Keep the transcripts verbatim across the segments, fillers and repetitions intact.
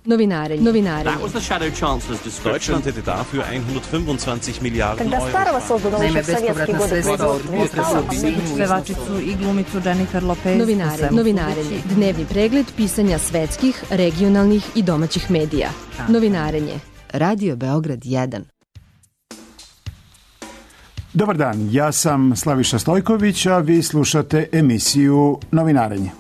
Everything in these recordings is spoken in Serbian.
Novinarenje. Novinarenje. That was the shadow chancellor's description. Deutschland hätte dafür hundertfünfundzwanzig Milliarden Когда Euro. Старого создано еще в советские годы производство. Pevačicu i glumicu Jennifer Lopez. Novinare, novinarenje. Dnevni pregled pisanja svetskih, regionalnih i domaćih medija. Novinarenje. Radio Beograd jedan. Dobar dan, ja sam Slaviša Stojković, a vi slušate emisiju Novinarenje.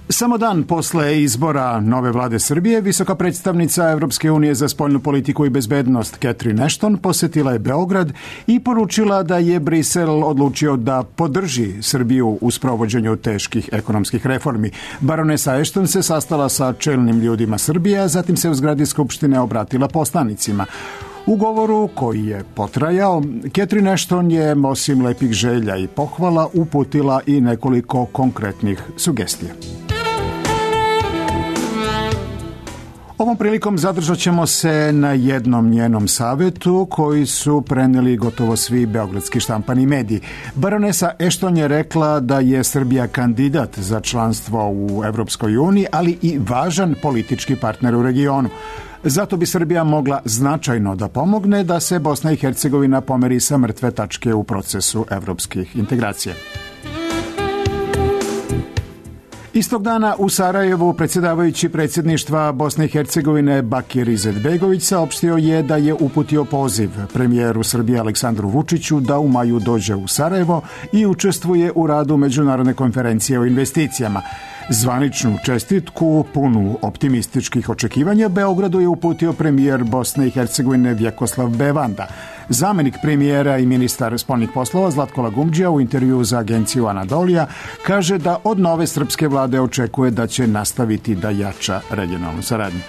Samo dan posle izbora nove vlade Srbije, visoka predstavnica Evropske unije za spoljnu politiku i bezbednost Catherine Ashton posetila je Beograd i poručila da je Brisel odlučio da podrži Srbiju u sprovođenju teških ekonomskih reformi. Baronesa Ashton se sastala sa čelnim ljudima Srbije, a zatim se u zgradi Skupštine obratila poslanicima. U govoru koji je potrajao, Catherine Ashton je osim lepih želja i pohvala uputila i nekoliko konkretnih sugestija. Ovom prilikom zadržat ćemo se na jednom njenom savetu koji su preneli gotovo svi beogradski štampani mediji. Baronesa Ashton je rekla da je Srbija kandidat za članstvo u Evropskoj uniji, ali i važan politički partner u regionu. Zato bi Srbija mogla značajno da pomogne da se Bosna i Hercegovina pomeri sa mrtve tačke u procesu evropskih integracija. Istog dana u Sarajevu predsjedavajući predsjedništva Bosne i Hercegovine Bakir Izetbegović saopštio je da je uputio poziv premijeru Srbije Aleksandru Vučiću da u maju dođe u Sarajevo i učestvuje u radu međunarodne konferencije o investicijama. Zvaničnu čestitku, punu optimističkih očekivanja, Beogradu je uputio premijer Bosne i Hercegovine Vjekoslav Bevanda. Zamenik premijera i ministar spoljnih poslova Zlatko Lagumdžija u intervju za agenciju Anadolija kaže da od nove srpske vlade očekuje da će nastaviti da jača regionalnu saradnju.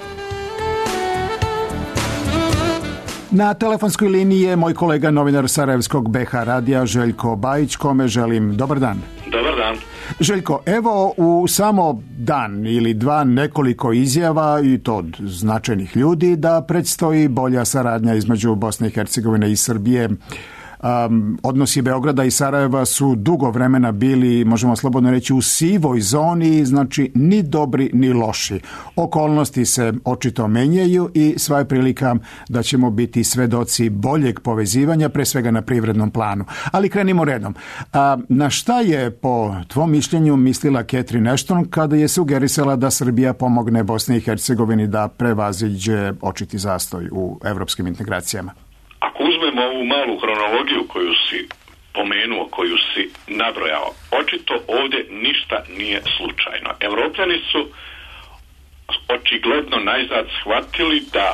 Na telefonskoj liniji je moj kolega novinar Sarajevskog B H radija Željko Bajić, kome želim dobar dan. Dobar dan. Željko, evo u samo dan ili dva nekoliko izjava, i to od značajnih ljudi, da predstoji bolja saradnja između Bosne i Hercegovine i Srbije. Um, odnosi Beograda i Sarajeva su dugo vremena bili, možemo slobodno reći, u sivoj zoni, znači ni dobri ni loši. Okolnosti se očito menjaju i sva je prilika da ćemo biti svedoci boljeg povezivanja, pre svega na privrednom planu. Ali krenimo redom. A, na šta je po tvom mišljenju mislila Catherine Ashton kada je sugerisala da Srbija pomogne Bosni i Hercegovini da prevaziđe očiti zastoj u evropskim integracijama? Ako uzmemo ovu malu hronologiju koju si pomenuo, koju si nabrojao, očito ovdje ništa nije slučajno. Evropljani su očigledno najzad shvatili da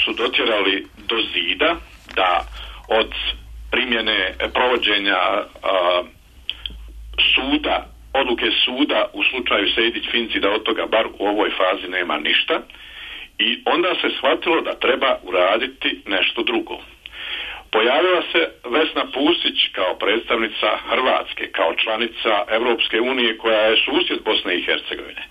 su dotjerali do zida, da od primjene provođenja a, suda, odluke suda u slučaju Sejdić-Finci, da od toga bar u ovoj fazi nema ništa, i onda se shvatilo da treba uraditi nešto drugo. Pojavila se Vesna Pusić kao predstavnica Hrvatske, kao članica Evropske unije koja je susjed Bosne i Hercegovine,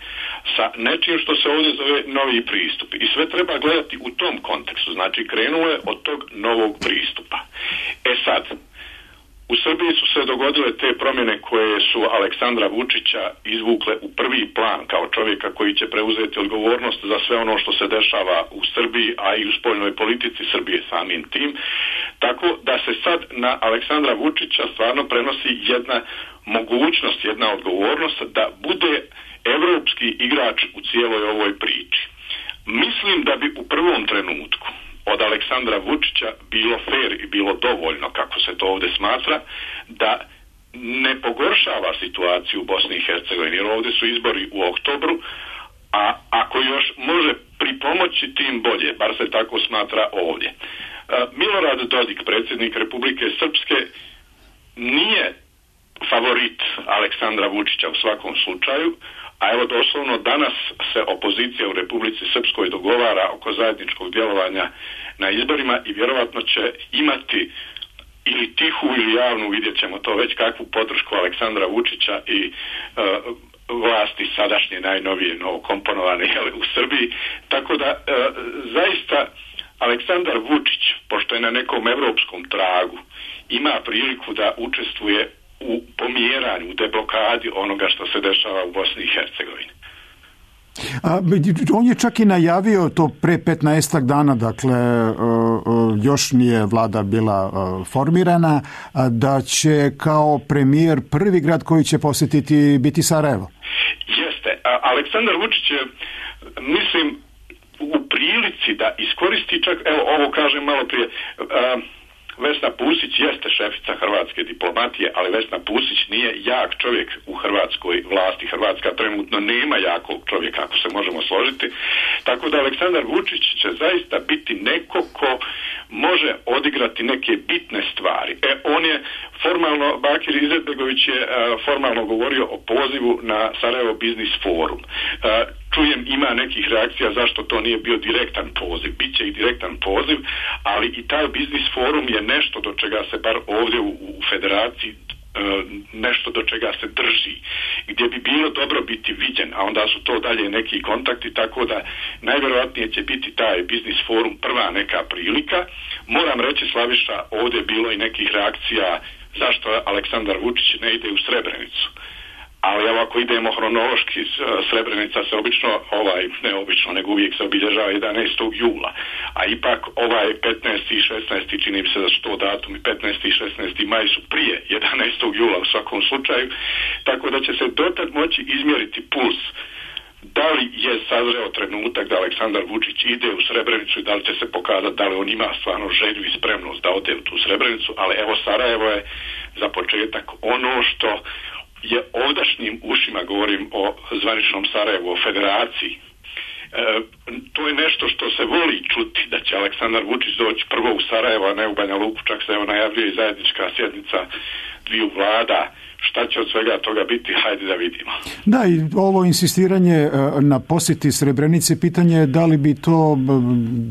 sa nečim što se ovdje zove novi pristup. I sve treba gledati u tom kontekstu, znači krenulo je od tog novog pristupa. E sad, u Srbiji su se dogodile te promjene koje su Aleksandra Vučića izvukle u prvi plan kao čovjeka koji će preuzeti odgovornost za sve ono što se dešava u Srbiji, a i u spoljnoj politici Srbije samim tim. Tako da se sad na Aleksandra Vučića stvarno prenosi jedna mogućnost, jedna odgovornost da bude evropski igrač u cijeloj ovoj priči. Mislim da bi u prvom trenutku od Aleksandra Vučića bilo fer i bilo dovoljno, kako se to ovdje smatra, da ne pogoršava situaciju u Bosni i Hercegovini, jer ovdje su izbori u oktobru, a ako još može pripomoći tim bolje, bar se tako smatra ovdje. Milorad Dodik, predsjednik Republike Srpske, nije favorit Aleksandra Vučića u svakom slučaju, a evo doslovno danas se opozicija u Republici Srpskoj dogovara oko zajedničkog djelovanja na izborima i vjerovatno će imati ili tihu ili javnu, vidjet ćemo to već, kakvu podršku Aleksandra Vučića i e, vlasti sadašnje najnovije novokomponovane u Srbiji. Tako da e, zaista Aleksandar Vučić, pošto je na nekom evropskom tragu, ima priliku da učestvuje u pomjeranju, u deblokadi onoga što se dešava u Bosni i Hercegovini. A, on je čak i najavio to pre petnaestak dana, dakle još nije vlada bila formirana, da će kao premijer prvi grad koji će posjetiti biti Sarajevo. Jeste. A, Aleksandar Vučić je, mislim, u prilici da iskoristi čak, evo ovo kažem malo prije, a, Vesna Pusić jeste šefica hrvatske diplomatije, ali Vesna Pusić nije jak čovjek u hrvatskoj vlasti. Hrvatska trenutno nema jakog čovjeka, ako se možemo složiti. Tako da Aleksandar Vučić će zaista biti neko ko može odigrati neke bitne stvari. E, on je formalno, Bakir Izetbegović je uh, formalno govorio o pozivu na Sarajevo Biznis Forum. Uh, čujem ima nekih reakcija zašto to nije bio direktan poziv. Biće i direktan poziv, ali i taj Biznis Forum je nešto do čega se bar ovdje u, u federaciji nešto do čega se drži, gdje bi bilo dobro biti viđen, a onda su to dalje neki kontakti, tako da najvjerojatnije će biti taj Biznis Forum prva neka prilika. Moram reći, Slaviša, ovdje je bilo i nekih reakcija zašto Aleksandar Vučić ne ide u Srebrenicu. Ali evo, ako idemo hronološki, Srebrenica se obično, ovaj, ne obično, nego uvijek se obilježava jedanaestog jula. A ipak ovaj petnaesti i šesnaesti čini mi se da su to datumi, petnaesti i šesnaesti maj su prije jedanaestog jula u svakom slučaju, tako da će se dotad moći izmjeriti puls. Da li je sazreo trenutak da Aleksandar Vučić ide u Srebrenicu i da li će se pokazati da li on ima stvarno želju i spremnost da ode u tu Srebrenicu, ali evo Sarajevo je za početak ono što je ovdašnjim ušima, govorim o zvaničnom Sarajevu, o federaciji. E, to je nešto što se voli čuti, da će Aleksandar Vučić doći prvo u Sarajevo, a ne u Banja Luku, čak se evo najavljuje i zajednička sjednica dviju vlada. Šta će od svega toga biti, hajde da vidimo. Da, i ovo insistiranje na posjeti Srebrenice, pitanje je da li bi to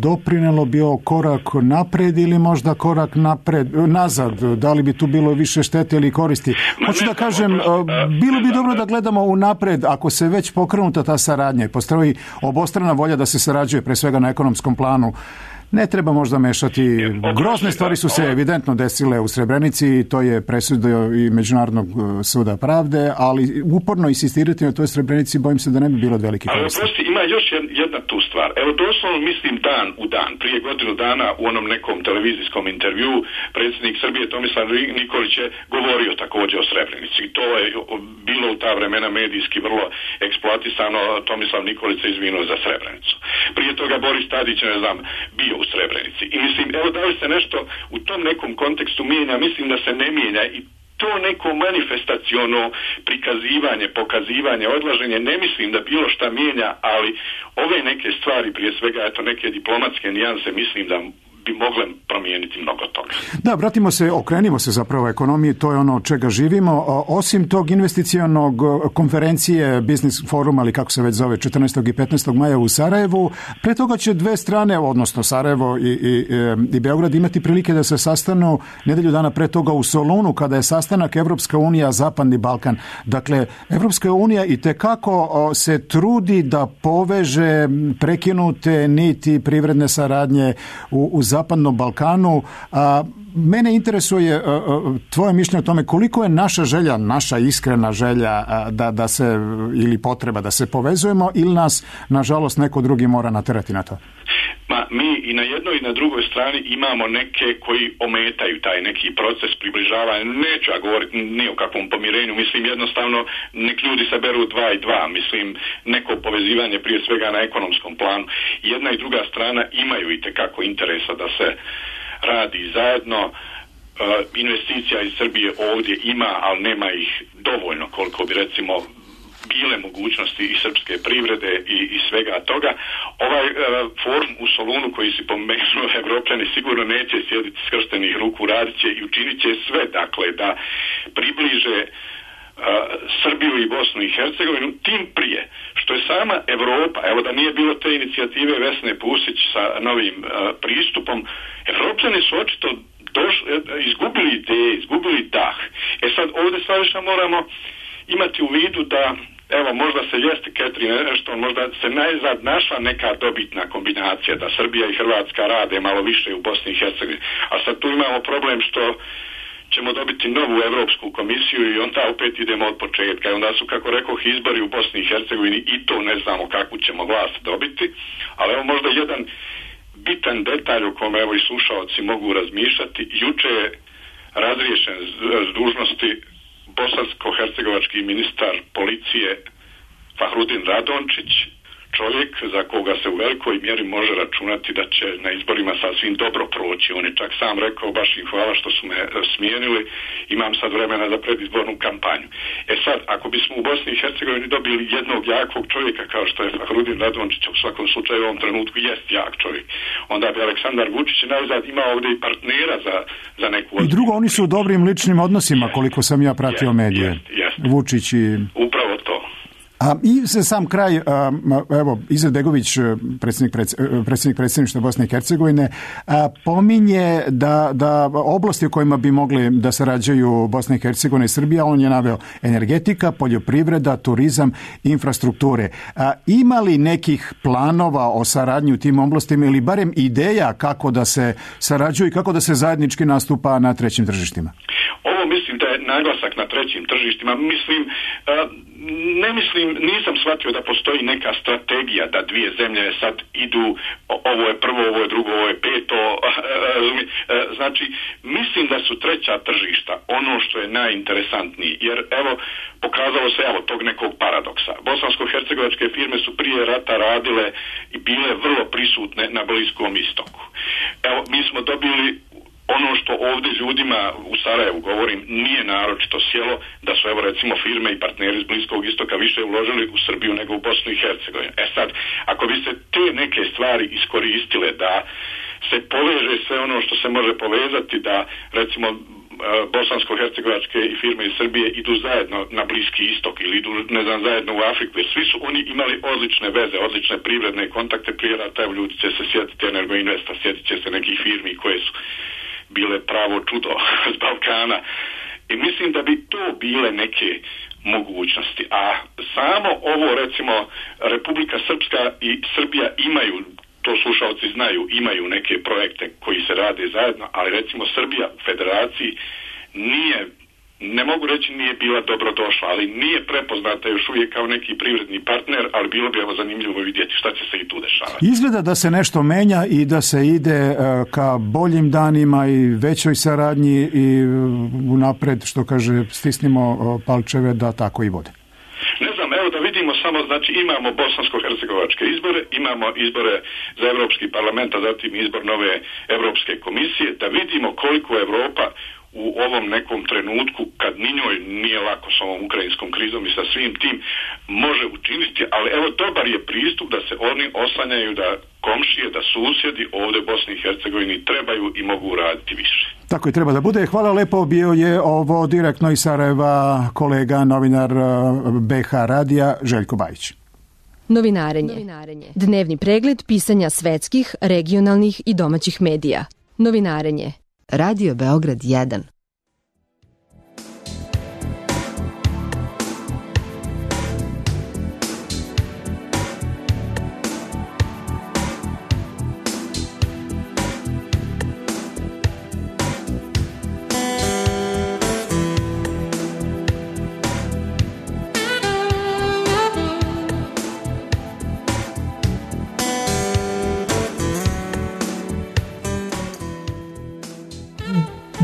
doprinelo, bio korak napred ili možda korak napred, nazad, da li bi tu bilo više štete ili koristi. Hoću da kažem, bilo bi dobro da gledamo u napred, ako se već pokrenuta ta saradnja i postoji obostrana volja da se sarađuje, pre svega na ekonomskom planu. Ne treba možda mešati, grozne stvari su se evidentno desile u Srebrenici i to je presudio i Međunarodnog suda pravde, ali uporno insistirati na toj Srebrenici, bojim se da ne bi bilo od velike koristi. Ali prosti, ima još jedna tu stvar. Evo doslovno mislim dan u dan, prije godinu dana u onom nekom televizijskom intervjuu predsjednik Srbije Tomislav Nikolić je govorio također o Srebrenici. I to je bilo u ta vremena medijski vrlo eksploatisano, Tomislav Nikolić se izvinuo za Srebrenicu. Prije toga Boris Tadić, ne znam, bio u Srebrenici. I mislim, evo da li se nešto u tom nekom kontekstu mijenja, mislim da se ne mijenja i to neko manifestaciono prikazivanje, pokazivanje, odlaženje, ne mislim da bilo šta mijenja, ali ove neke stvari, prije svega, eto neke diplomatske nijanse, mislim da bi mogle promijeniti mnogo toga. Da, vratimo se, okrenimo se zapravo ekonomiji, to je ono od čega živimo. Osim tog investicionog konferencije Business Forum, ali kako se već zove, četrnaestog i petnaestog maja u Sarajevu, pre toga će dve strane, odnosno Sarajevo i, i, i Beograd, imati prilike da se sastanu nedelju dana pre toga u Solunu, kada je sastanak Evropska unija, Zapadni Balkan. Dakle, Evropska unija i tekako se trudi da poveže prekinute niti privredne saradnje u, u Zapadnom Balkanu. A, mene interesuje a, a, tvoje mišljenje o tome koliko je naša želja, naša iskrena želja a, da, da se, ili potreba da se povezujemo, ili nas, nažalost, neko drugi mora naterati na to? Ma, mi i na jednoj i na drugoj strani imamo neke koji ometaju taj neki proces približavanja. Neću ja govoriti ni o kakvom pomirenju, mislim jednostavno nek ljudi saberu dva i dva, mislim neko povezivanje prije svega na ekonomskom planu. Jedna i druga strana imaju i tekako interesa da se radi zajedno. Uh, investicija iz Srbije ovdje ima, ali nema ih dovoljno koliko bi recimo bile mogućnosti i srpske privrede i, i svega toga. Ovaj uh, forum u Solunu koji si pomenuo, Evropljani sigurno neće sjediti skrštenih ruku, radit će i učinit će sve, dakle, da približe uh, Srbiju i Bosnu i Hercegovinu, tim prije što je sama Evropa, evo da nije bilo te inicijative Vesne Pusić sa novim uh, pristupom, Evropljani su očito došli, izgubili ideje, izgubili dah. E sad ovdje stvarno moramo imati u vidu da evo, možda se jeste Ketrin nešto, možda se najzad našla neka dobitna kombinacija da Srbija i Hrvatska rade malo više u Bosni i Hercegovini. A sad tu imamo problem što ćemo dobiti novu Evropsku komisiju i onda opet idemo od početka. I onda su, kako rekoh, izbori u Bosni i Hercegovini i to ne znamo kakvu ćemo vlast dobiti, ali evo možda jedan bitan detalj o kome evo i slušaoci mogu razmišljati. Juče je razriješen s dužnosti bosansko-hercegovački ministar policije Fahrudin Radončić, čovjek za koga se u velikoj mjeri može računati da će na izborima sasvim dobro proći. On je čak sam rekao, baš im hvala što su me smijenili, imam sad vremena za predizbornu kampanju. E sad, ako bismo u Bosni i Hercegovini dobili jednog jakog čovjeka kao što je Fahrudin Radončić, u svakom slučaju u ovom trenutku jest jak čovjek, onda bi Aleksandar Vučić najzad imao ovdje i partnera za, za neku... I drugo, oni su u dobrim ličnim odnosima, jest, koliko sam ja pratio jest, medije. Jest, jest. Vučić i... Upravo to. A i za sam kraj, evo, Izetbegović, predsjednik, predsjednik predsjedništva Bosne i Hercegovine, pominje da, da oblasti u kojima bi mogli da sarađuju Bosna i Hercegovina i Srbija, on je naveo energetika, poljoprivreda, turizam, infrastrukture. Ima li nekih planova o saradnji u tim oblastima ili barem ideja kako da se sarađuju i kako da se zajednički nastupa na trećim tržištima? Ovo mislim da je naglasak na trećim tržištima. Mislim, ne mislim, nisam shvatio da postoji neka strategija da dvije zemlje sad idu, ovo je prvo, ovo je drugo, ovo je peto. Znači, mislim da su treća tržišta ono što je najinteresantnije. Jer evo, pokazalo se evo tog nekog paradoksa. Bosansko-hercegovačke firme su prije rata radile i bile vrlo prisutne na Bliskom istoku. Evo, mi smo dobili ono što ovdje ljudima u Sarajevu, govorim, nije naročito sjelo, da su evo recimo firme i partneri iz Bliskog istoka više uložili u Srbiju nego u Bosnu i Hercegovinu. E sad, ako bi se te neke stvari iskoristile da se poveže sve ono što se može povezati, da recimo bosansko-hercegovačke i firme iz Srbije idu zajedno na Bliski istok ili idu, ne znam, zajedno u Afriku, jer svi su oni imali odlične veze, odlične privredne kontakte prije rata. Evo, ljudi će se sjetiti Energoinvesta, sjetit će se nekih firmi koje su bile pravo čudo s Balkana. I mislim da bi to bile neke mogućnosti. A samo ovo, recimo, Republika Srpska i Srbija imaju, to slušalci znaju, imaju neke projekte koji se rade zajedno, ali recimo Srbija u federaciji nije, ne mogu reći nije bila dobrodošla, ali nije prepoznata još uvijek kao neki privredni partner, ali bilo bi evo zanimljivo vidjeti šta će se i tu dešavati. Izgleda da se nešto menja i da se ide ka boljim danima i većoj saradnji i unapred, što kaže, stisnimo palčeve da tako i vode. Ne znam, evo da vidimo samo, znači imamo bosansko-hercegovačke izbore, imamo izbore za Evropski parlament, a zatim izbor nove Evropske komisije, da vidimo koliko Evropa u ovom nekom trenutku, kad ni njoj nije lako s ovom ukrajinskom krizom i sa svim tim, može učiniti, ali evo dobar je pristup da se oni oslanjaju da komšije, da susjedi ovdje u Bosni i Hercegovini trebaju i mogu raditi više. Tako i treba da bude. Hvala lepo, bio je ovo direktno iz Sarajeva kolega, novinar B H radija Željko Bajić. Novinarenje. Novinarenje. Dnevni pregled pisanja svetskih, regionalnih i domaćih medija. Novinarenje. Radio Beograd jedan.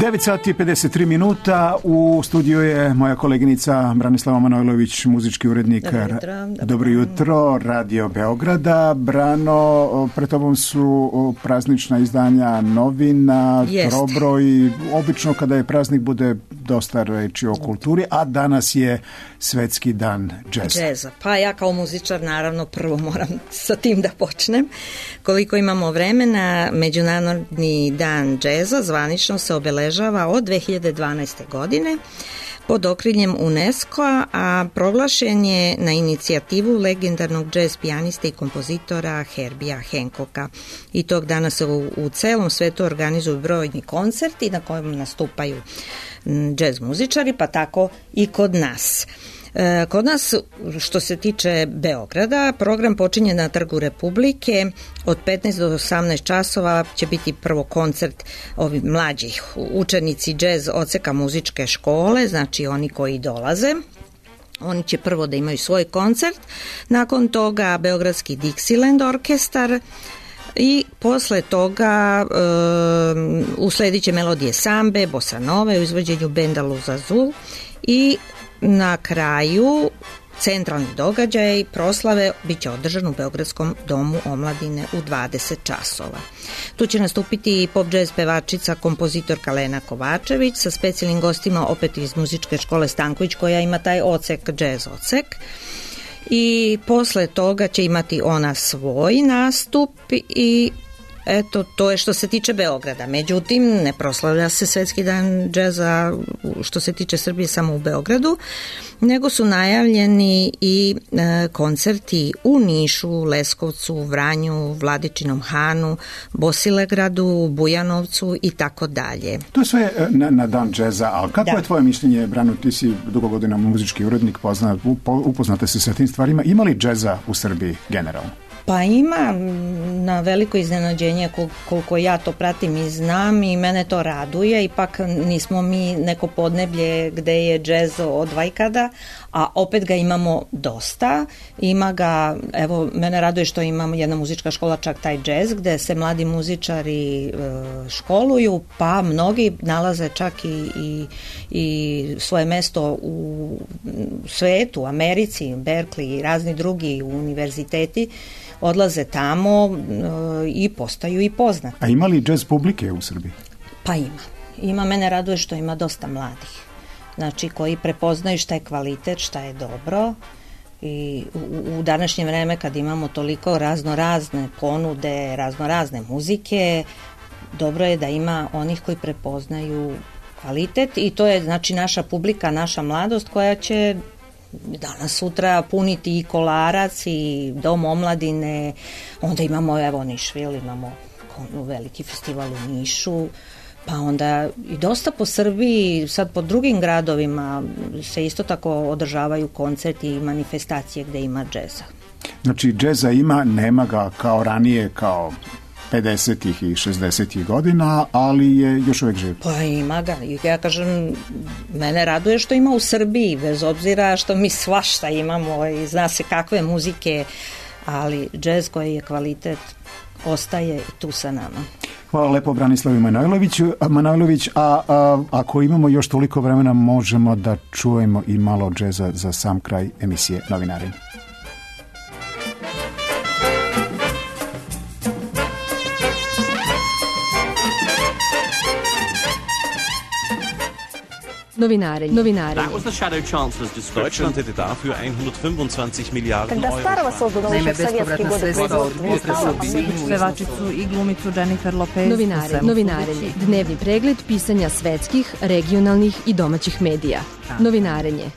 devet sati i pedeset tri minuta, u studiju je moja koleginica Branislava Manojlović, muzički urednik. Dobro jutro. Dobro, dobro jutro, Radio Beograda. Brano, pred tobom su praznična izdanja novina, trobroj. Obično kada je praznik bude dosta reči o kulturi, a danas je Svetski dan džeza. Džeza. Pa ja kao muzičar naravno prvo moram sa tim da počnem. Koliko imamo vremena, Međunarodni dan džeza zvanično se obeležava od dve hiljade dvanaeste. godine pod okriljem UNESCO-a, a proglašen je na inicijativu legendarnog džez pijaniste i kompozitora Herbija Hancocka. I tog dana se u, u celom svetu organizuju brojni koncerti na kojem nastupaju džez muzičari, pa tako i kod nas. Kod nas, što se tiče Beograda, program počinje na Trgu Republike. Od petnaest do osamnaest časova će biti prvo koncert ovih mlađih učenici džez odseka muzičke škole, znači oni koji dolaze. Oni će prvo da imaju svoj koncert, nakon toga Beogradski Dixieland orkestar i posle toga e, usledit će melodije sambe, bossa nove u izvođenju benda Luz Azul i na kraju centralni događaj proslave bit će održan u Beogradskom domu omladine u dvadeset časova. Tu će nastupiti pop jazz pevačica, kompozitorka Lena Kovačević sa specijalnim gostima opet iz muzičke škole Stanković koja ima taj odsek, jazz odsek. I posle toga će imati ona svoj nastup i eto, to je što se tiče Beograda. Međutim, ne proslavlja se Svetski dan džeza što se tiče Srbije samo u Beogradu, nego su najavljeni i e, koncerti u Nišu, Leskovcu, Vranju, Vladičinom Hanu, Bosilegradu, Bujanovcu i tako dalje. To je sve na, na dan džeza, ali kako da. je tvoje mišljenje, Brano, ti si dugo godina muzički urednik, pozna, upoznate se sa tim stvarima, ima li džeza u Srbiji generalno? Pa ima, na veliko iznenađenje koliko ja to pratim i znam i mene to raduje, ipak nismo mi neko podneblje gde je džez od vajkada, a opet ga imamo dosta, ima ga, evo mene raduje što imamo jedna muzička škola čak taj džez gde se mladi muzičari e, školuju, pa mnogi nalaze čak i, i, i svoje mesto u svetu, Americi, Berkeley i razni drugi univerziteti, odlaze tamo e, i postaju i poznati. A ima li džez publike u Srbiji? Pa ima. Ima, mene raduje što ima dosta mladih. Znači, koji prepoznaju šta je kvalitet, šta je dobro i u, u današnje vreme kad imamo toliko raznorazne ponude, raznorazne muzike, dobro je da ima onih koji prepoznaju kvalitet i to je znači naša publika, naša mladost koja će danas sutra puniti i Kolarac i Dom omladine, onda imamo evo Nišvil, imamo veliki festival u Nišu, pa onda i dosta po Srbiji, sad po drugim gradovima se isto tako održavaju koncerti i manifestacije gde ima džeza. Znači džeza ima, nema ga kao ranije, kao pedesetih i šezdesetih godina, ali je još uvek živ. Pa ima ga. Ja kažem, mene raduje što ima u Srbiji, bez obzira što mi svašta imamo i zna se kakve muzike, ali džez koji je kvalitet ostaje tu sa nama. Hvala lepo Branislavu Manojloviću, Manojlović, a, a ako imamo još toliko vremena možemo da čujemo i malo džeza za sam kraj emisije Novinarenje. Novinarenje. Novinarenje. That was the Shadow Chancellor's description. Deutschland hätte dafür hundertfünfundzwanzig Milliarden Когда Euro. старого создано еще в советские годы производства. Pevačicu i glumicu Jennifer Lopez. Novinarenje. Novinarenje. Dnevni pregled pisanja svetskih, regionalnih i domaćih medija. Novinarenje.